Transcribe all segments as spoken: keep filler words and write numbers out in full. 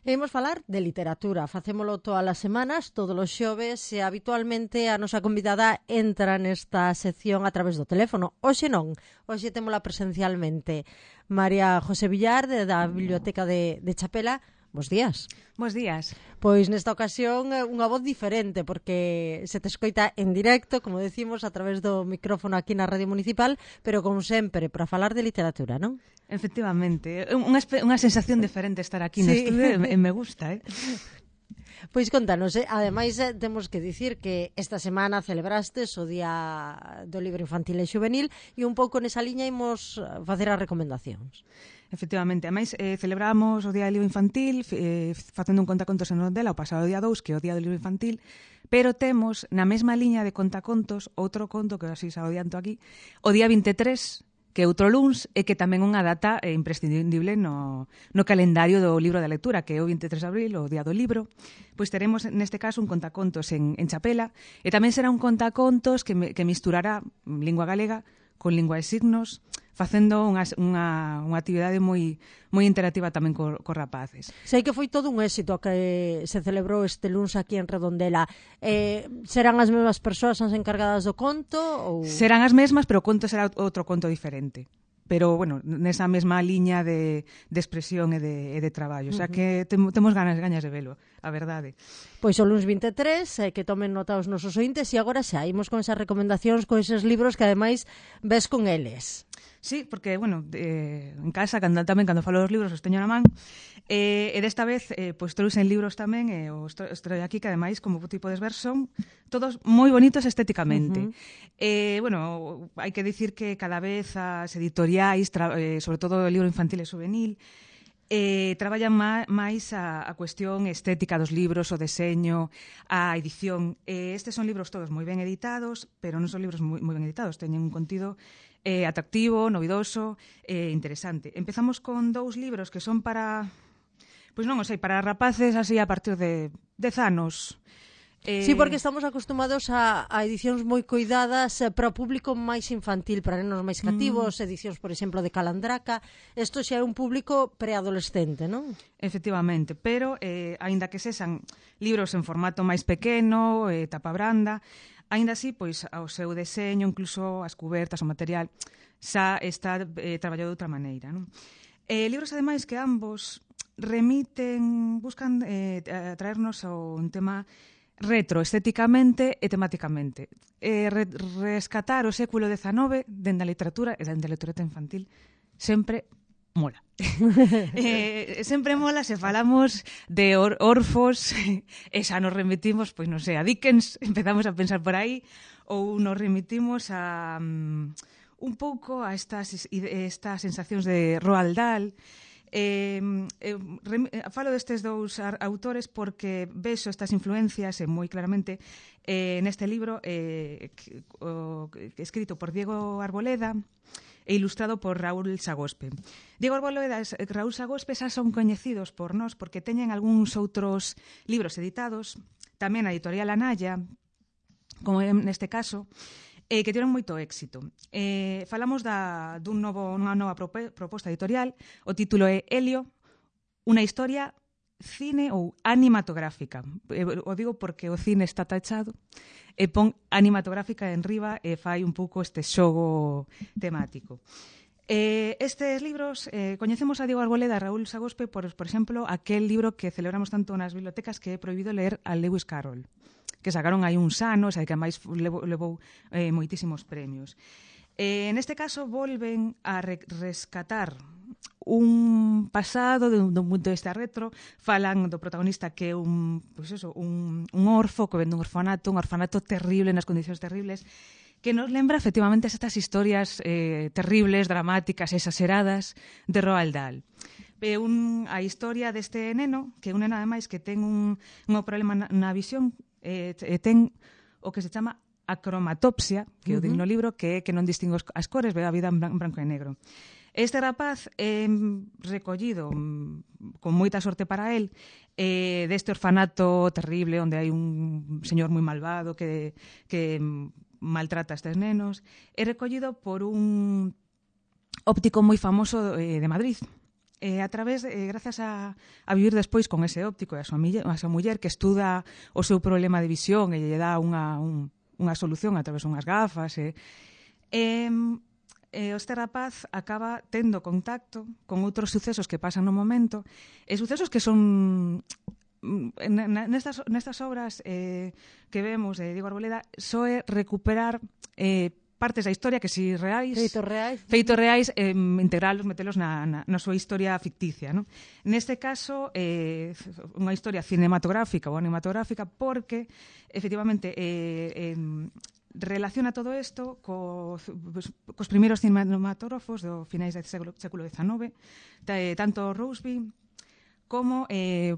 Imos falar de literatura, facémolo todas as semanas, todos os xoves, e habitualmente a nosa convidada entra nesta sección a través do teléfono. Hoxe non, hoxe témola presencialmente. María José Villar, de, da Biblioteca de, de Chapela. Bos días. Bos días. Pois nesta ocasión unha voz diferente, porque se te escoita en directo, como decimos, a través do micrófono aquí na Radio Municipal, pero como sempre, para falar de literatura, non? Efectivamente, unha, unha sensación diferente estar aquí sí. no estudio e me gusta, eh? Pois contanos, eh? ademais eh, temos que dicir que esta semana celebrastes o Día do Libro Infantil e Xuvenil e un pouco nesa liña imos facer as recomendacións. Efectivamente, ademais eh, celebramos o Día do Libro Infantil eh, facendo un contacontos en Rondela o pasado día dous, que é o Día do Libro Infantil, pero temos na mesma liña de contacontos outro conto que así xa adianto aquí, o día vinte e tres, que é outro luns, e que tamén unha data eh, imprescindible no, no calendario do libro da lectura, que é o vinte e tres de abril, o Día do Libro. Pois teremos neste caso un contacontos en, en Chapela, e tamén será un contacontos que, me, que misturará lingua galega con lingua de signos, facendo unha, unha, unha actividade moi moi interactiva tamén co, co rapaces. Sei que foi todo un éxito que se celebrou este luns aquí en Redondela. Eh, serán as mesmas persoas as encargadas do conto? Ou... Serán as mesmas, pero o conto será outro conto diferente. Pero, bueno, nesa mesma liña de, de expresión e de, e de traballo. O sea, que tem, temos ganas, ganas de velo, a verdade. Pois o luns vinte e tres, eh, que tomen nota os nosos ointes, e agora xa, imos con esas recomendacións, con eses libros que ademais ves con eles. Sí, porque, bueno, eh, en casa, cando, tamén cando falo dos libros os teño na man, eh, e desta vez, eh, pois trouxen libros tamén, e eh, os traio aquí, que ademais, como tipo de esver, son todos moi bonitos estéticamente. Uh-huh. eh, bueno, hai que dicir que cada vez as editoriais, tra, eh, sobre todo o libro infantil e juvenil, eh, traballan má, máis a, a cuestión estética dos libros, o deseño, a edición. Eh, estes son libros todos moi ben editados, pero non son libros moi, moi ben editados, teñen un contido eh, atractivo, novidoso, eh, interesante. Empezamos con dous libros que son para, pois non o sei, para rapaces así a partir de dez anos. Eh... Sí, porque estamos acostumados a, a edicións moi cuidadas eh, para o público máis infantil, para nenos máis cativos, mm. edicións, por exemplo, de Calandraca. Isto xa é un público preadolescente, non? Efectivamente, pero, eh, aínda que sexan libros en formato máis pequeno, eh, tapa branda, aínda así, pois, ao seu deseño, incluso as cubertas, o material, xa está eh, traballado de outra maneira, non? Eh, libros, ademais, que ambos remiten, buscan eh, traernos ao un tema retro, estéticamente e temáticamente. Eh, re, rescatar o século dezanove dende a literatura e dende a literatura infantil sempre mola. eh, sempre mola se falamos de or, orfos e xa nos remitimos, pois non sei, a Dickens, empezamos a pensar por aí, ou nos remitimos a um, un pouco a estas, estas sensacións de Roald Dahl. Eh, eh, rem, eh, falo destes dous autores porque vexo estas influencias eh, moi claramente eh, neste libro eh, que, o, que, escrito por Diego Arboleda e ilustrado por Raúl Sagospe. Diego Arboleda e Raúl Sagospe xa son coñecidos por nós porque teñen algúns outros libros editados, tamén a editorial Anaya, como neste caso, eh, que tiveron moito éxito. Eh, falamos da, dun novo, unha nova proposta editorial, o título é Helio, unha historia cine ou animatográfica. Eh, o digo porque o cine está tachado, e pon animatográfica en riba e fai un pouco este xogo temático. Eh, estes libros, eh, coñecemos a Diego Arboleda e Raúl Sagospe por, por exemplo, aquel libro que celebramos tanto nas bibliotecas que é prohibido ler a Lewis Carroll, que sacaron aí uns anos e que máis levou, levou eh, moitísimos premios. Eh, neste caso, volven a re rescatar un pasado de un, de un punto de vista retro, falan do protagonista que é un, pues eso, un, un orfo que vende un orfanato, un orfanato terrible, nas condicións terribles, que nos lembra efectivamente estas historias eh, terribles, dramáticas, exageradas de Roald Dahl. É un, a historia deste neno, que é un neno ademais que ten un, un problema na, na visión, e eh, ten o que se chama acromatopsia, que é o uh -huh. no libro, que é que non distingue as cores, ve a vida en branco e negro. Este rapaz é eh, recollido con moita sorte para él eh, deste orfanato terrible onde hai un señor moi malvado que, que maltrata a estes nenos, é recollido por un óptico moi famoso eh, de Madrid. eh, a través, eh, grazas a, a vivir despois con ese óptico e a súa, mille, a súa muller que estuda o seu problema de visión e lle dá unha, un, unha solución a través dunhas gafas. E, eh, eh, este rapaz acaba tendo contacto con outros sucesos que pasan no momento, e sucesos que son... Nestas, nestas obras eh, que vemos de Diego Arboleda só é recuperar eh, partes da historia que si reais feitos reais, feitos reais eh, integralos, metelos na, na, na súa historia ficticia, non? Neste caso eh, unha historia cinematográfica ou animatográfica porque efectivamente eh, eh, relaciona todo isto co, cos primeiros cinematógrafos do finais do século, século dezenove, tanto Roseby como eh,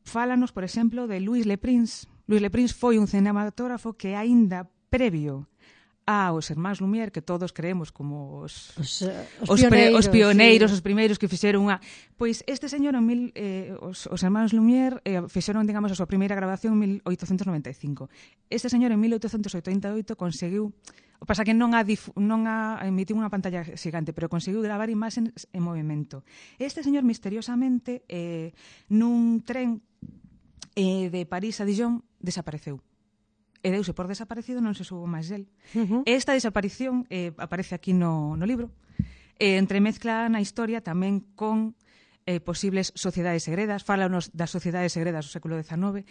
fálanos, por exemplo, de Louis Le Prince. Louis Le Prince foi un cinematógrafo que aínda previo aos Irmáns Lumière, que todos creemos como os, os, os, os, pioneiros, pre, os pioneiros, sí. Os primeiros que fixeron unha... Pois este señor, en mil, eh, os, os Irmáns Lumière, eh, fixeron, digamos, a súa primeira grabación en mil oitocentos noventa e cinco. Este señor, en mil oitocentos oitenta e oito, conseguiu... O pasa que non a, dif, non a emitiu unha pantalla xigante, pero conseguiu gravar imaxes en movimento. Este señor, misteriosamente, eh, nun tren eh, de París a Dijon, desapareceu. E deuse por desaparecido, non se soubo máis del. Uh-huh. Esta desaparición eh, aparece aquí no, no libro, e entremezcla na historia tamén con eh, posibles sociedades segredas, fálanos das sociedades segredas do século dezenove.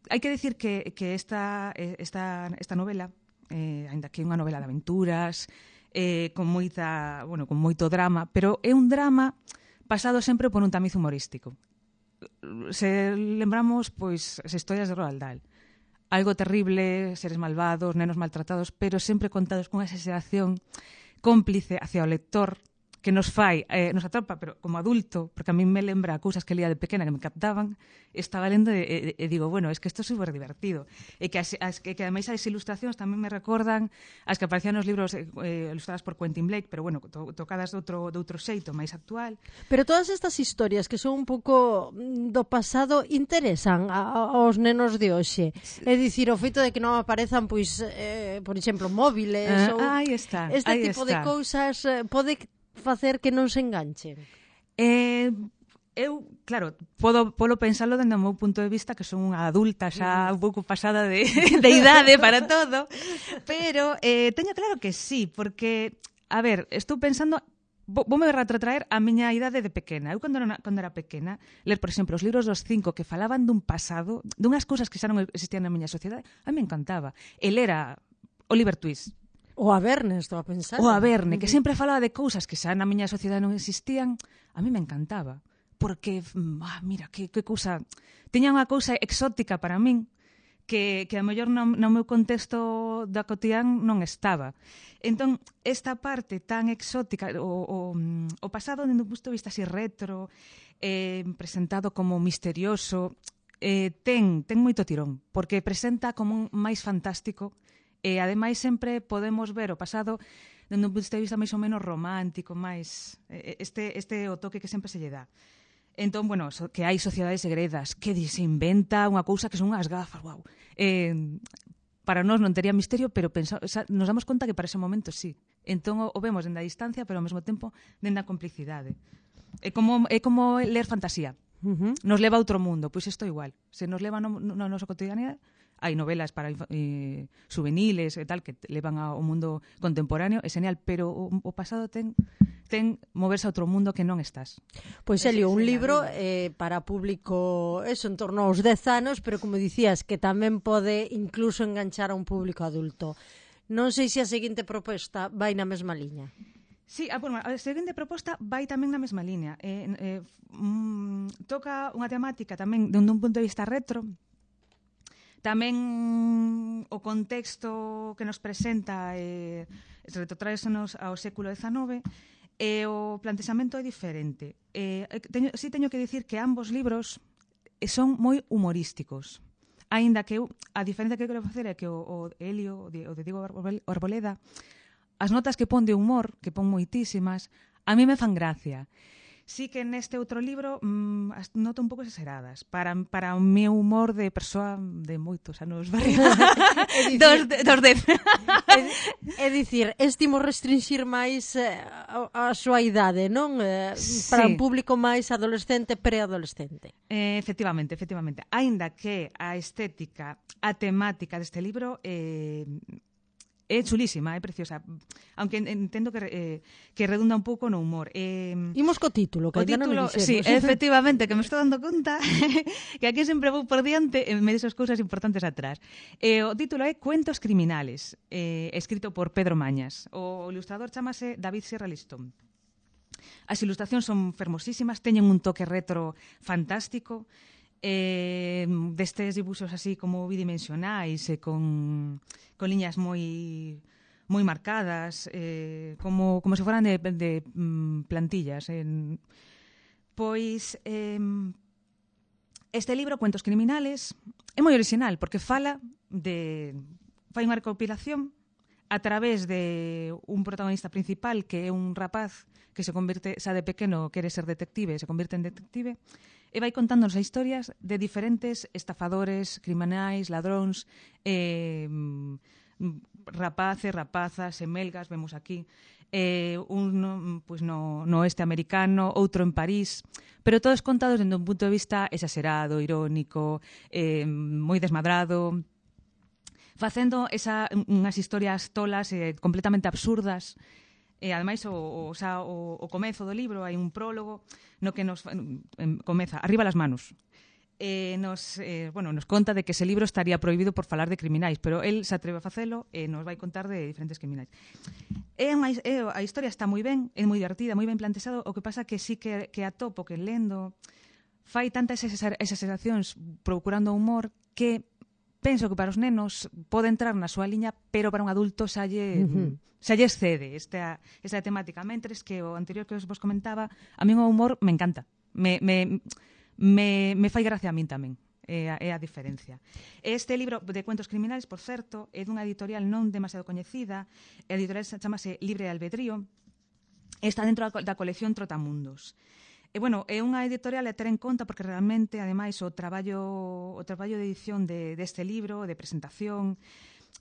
Hai que dicir que, que esta, esta, esta novela, eh, ainda que é unha novela de aventuras, eh, con moita, bueno, con moito drama, pero é un drama pasado sempre por un tamiz humorístico. Se lembramos, pois, as historias de Roald Dahl. Algo terrible, seres malvados, nenos maltratados, pero sempre contados con esa exageración cómplice hacia o lector que nos fai, eh, nos atrapa, pero como adulto, porque a mí me lembra cousas que lía de pequena que me captaban, estaba lendo e, e, e digo, bueno, es que isto é super divertido. E que, as, as, que, que ademais as ilustracións tamén me recordan as que aparecían nos libros eh, ilustradas por Quentin Blake, pero bueno, to, tocadas de outro, de outro xeito, máis actual. Pero todas estas historias que son un pouco do pasado interesan a, a, aos nenos de hoxe. Sí. É dicir, o feito de que non aparezan, pois, eh, por exemplo, móviles, ah, ou aí está, este aí tipo está. de cousas eh, pode facer que non se enganchen. Eh, eu, claro, podo, podo pensarlo dende o meu punto de vista, que son unha adulta xa un pouco pasada de, de idade para todo, pero eh, teño claro que sí, porque, a ver, estou pensando, voume retrotraer a miña idade de pequena. Eu, cando era, cando era pequena, ler, por exemplo, os libros dos cinco que falaban dun pasado, dunhas cousas que xa non existían na miña sociedade, a mí me encantaba. El era Oliver Twist. O a Verne, estou a pensar. O a Verne, que sempre falaba de cousas que xa na miña sociedade non existían, a mí me encantaba. Porque, ah, mira, que, que cousa... Tiña unha cousa exótica para min, que, que a mellor no, no meu contexto da cotidián non estaba. Entón, esta parte tan exótica, o, o, o pasado dende un punto de vista así retro, eh, presentado como misterioso, eh, ten, ten moito tirón, porque presenta como un máis fantástico. E, ademais, sempre podemos ver o pasado dende un punto de vista máis ou menos romántico, máis este, este o toque que sempre se lle dá. Entón, bueno, so, que hai sociedades segredas, que se inventa unha cousa que son unhas gafas, wow. Eh, para nós non tería misterio, pero pensa, o sea, nos damos conta que para ese momento sí. Entón, o, o vemos dende a distancia, pero ao mesmo tempo dende a complicidade. É como, é como ler fantasía. Uh-huh. Nos leva a outro mundo, pois isto igual. Se nos leva no, no, no noso cotidianidade, hai novelas para eh, juveniles e tal que levan ao mundo contemporáneo, é genial, pero o, o pasado ten ten moverse a outro mundo que non estás. Pois, Elio, un libro eh, para público, eso, en torno aos dez anos, pero como dicías, que tamén pode incluso enganchar a un público adulto. Non sei se a seguinte proposta vai na mesma liña. Sí, a, bueno, a seguinte proposta vai tamén na mesma liña. Eh, eh, mm, toca unha temática tamén dende un punto de vista retro. Tamén o contexto que nos presenta eh, retrotraesenos ao século dezenove e o plantexamento é diferente. Eh, teño, sí teño que dicir que ambos libros son moi humorísticos. Aínda que eu, a diferencia que quero facer é que o, o Elio, o de, o de Diego Arboleda, as notas que pon de humor, que pon moitísimas, a mí me fan gracia. Sí que neste outro libro mmm, noto un pouco exageradas para, para o meu humor de persoa de moitos anos barriga. dos, de, dos de... É dicir, estimo restringir máis eh, a, a súa idade, non? Eh, para Sí. un público máis adolescente, preadolescente. Eh, efectivamente, efectivamente. Aínda que a estética, a temática deste libro eh, é chulísima, é preciosa. Aunque entendo que, eh, que redunda un pouco no humor. Eh, Imos co título, que o ainda non título, o sí, dixemos. efectivamente, que me estou dando conta que aquí sempre vou por diante e me desas cousas importantes atrás. Eh, o título é Cuentos criminales, eh, escrito por Pedro Mañas. O ilustrador chamase David Sierra Listón. As ilustracións son fermosísimas, teñen un toque retro fantástico, eh, destes dibuxos así como bidimensionais e con, con liñas moi moi marcadas, eh, como, como se foran de, de mm, plantillas. Eh. Pois eh, este libro, Cuentos criminales, é moi original porque fala de... fai unha recopilación a través de un protagonista principal que é un rapaz que se convirte, xa de pequeno quere ser detective, se convirte en detective, e vai contándonos a historias de diferentes estafadores, criminais, ladróns, eh, rapaces, rapazas, emelgas, vemos aquí, eh, un pues no, no oeste americano, outro en París, pero todos contados dende un punto de vista exagerado, irónico, eh, moi desmadrado, facendo esa, unhas historias tolas e eh, completamente absurdas. E, ademais, o, o, xa, o, o comezo do libro hai un prólogo no que nos em, comeza arriba las manos. Eh, nos, eh, bueno, nos conta de que ese libro estaría prohibido por falar de criminais, pero el se atreve a facelo e nos vai contar de diferentes criminais. É unha, é, a historia está moi ben, é moi divertida, moi ben plantexado, o que pasa que sí que, que atopo que lendo fai tantas esas, esas sensacións procurando humor que penso que para os nenos pode entrar na súa liña, pero para un adulto xa lle, uh-huh. xa lle excede esta, esta temática. Mentres que o anterior que vos comentaba, a mí o humor me encanta. Me, me, me, me fai gracia a min tamén. É a, é a diferencia. Este libro de Cuentos criminales, por certo, é dunha editorial non demasiado coñecida. A editorial chamase Libre de Albedrío. Está dentro da colección Trotamundos. E, bueno, é unha editorial a ter en conta porque realmente, ademais, o traballo o traballo de edición de, deste libro, de presentación,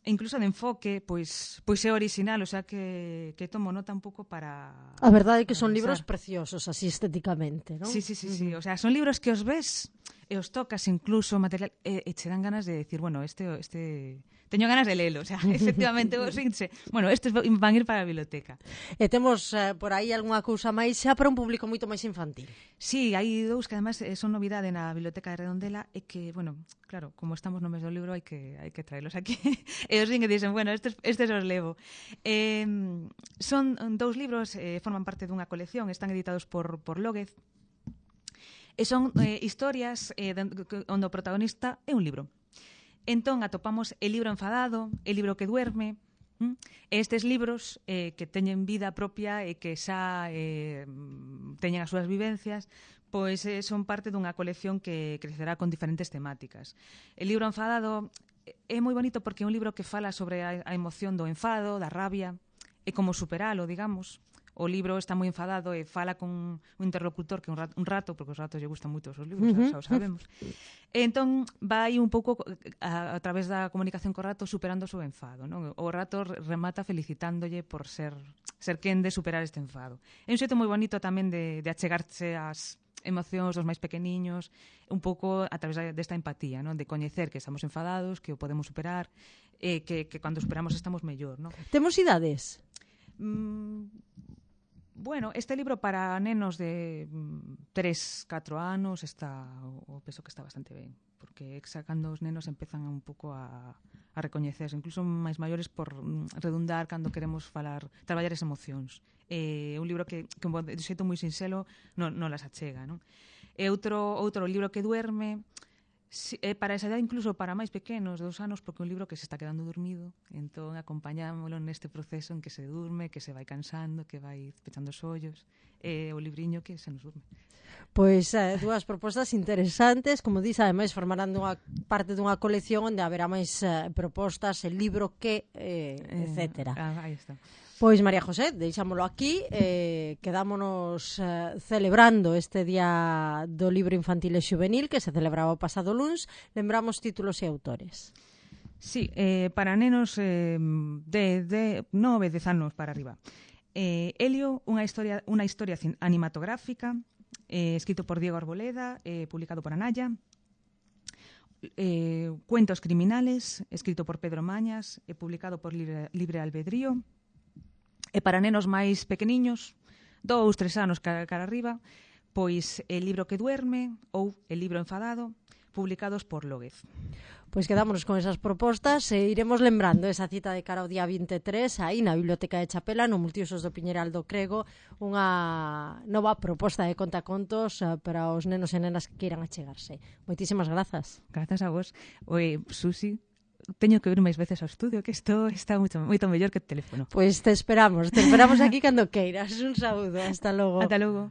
e incluso de enfoque, pois pois é original, o sea que, que tomo nota un pouco para... A verdade é que son libros preciosos, así estéticamente, non? Sí, sí, sí, sí. O sea, son libros que os ves e os tocas incluso material e, e che dan ganas de decir, bueno, este... este... teño ganas de lelo, o sea, efectivamente, os vinse, bueno, estes van ir para a biblioteca. E temos eh, por aí algunha cousa máis xa para un público moito máis infantil. Sí, hai dous que además son novidade na Biblioteca de Redondela e que, bueno, claro, como estamos no mes do libro hai que hai que traelos aquí. E os vin e dicen, bueno, estes, estes os levo. Eh, son dous libros, eh, forman parte dunha colección, están editados por, por Lóguez, e son eh, historias eh, onde o protagonista é un libro. Entón, atopamos El libro enfadado, El libro que duerme, ¿m? Estes libros eh, que teñen vida propia e que xa eh, teñen as súas vivencias, pois eh, son parte dunha colección que crecerá con diferentes temáticas. El libro enfadado é moi bonito porque é un libro que fala sobre a, a emoción do enfado, da rabia, e como superalo, digamos. O libro está moi enfadado e fala con un interlocutor que é un rato, un rato porque os ratos lle gustan moito os libros, uh-huh. xa o sabemos. E entón vai un pouco a, a través da comunicación co rato superando o seu enfado, non? O rato remata felicitándolle por ser ser quen de superar este enfado. É un xeito moi bonito tamén de, de achegarse ás emocións dos máis pequeniños, un pouco a través desta empatía, non? De coñecer que estamos enfadados, que o podemos superar, e que, que cando superamos estamos mellor, non? Temos idades? Mm, bueno, este libro para nenos de tres, catro anos está, o penso que está bastante ben, porque xa cando os nenos empezan un pouco a, a recoñecerse, incluso máis maiores por redundar cando queremos falar, traballar as emocións. É un libro que, que de xeito moi sinxelo non, non las achega, non? E outro, outro libro que duerme, si, eh, para esa edad, incluso para máis pequenos, de dos anos, porque é un libro que se está quedando dormido, entón acompañámoslo neste proceso en que se durme, que se vai cansando, que vai pechando os ollos, e eh, o libriño que se nos durme. Pois eh, dúas propostas interesantes, como dís, ademais formarán dunha parte dunha colección onde haberá máis eh, propostas, el libro que, eh, etcétera. Eh, ah, aí está. Pois, María José, deixámolo aquí, eh, quedámonos eh, celebrando este Día do Libro Infantil e Xuvenil que se celebraba o pasado luns. Lembramos títulos e autores. Sí, eh, para nenos eh, de, de nove, dez anos para arriba. Eh, Helio, unha historia, unha historia animatográfica, eh, escrito por Diego Arboleda, eh, publicado por Anaya. Eh, Cuentos criminales, escrito por Pedro Mañas, e publicado por Libre, Libre Albedrío. E para nenos máis pequeniños, dous, tres anos cara, cara arriba, pois El libro que duerme ou El libro enfadado, publicados por Lóguez. Pois quedámonos con esas propostas e iremos lembrando esa cita de cara ao día vinte e tres aí na Biblioteca de Chapela, no Multiusos do Piñeral do Crego, unha nova proposta de contacontos para os nenos e nenas que queiran achegarse. Moitísimas grazas. Grazas a vos. Oi, Susi, teño que vir máis veces ao estudio, que isto está moito, moito mellor que o teléfono. Pois te esperamos, te esperamos aquí cando queiras. Un saúdo, hasta logo. Ata logo.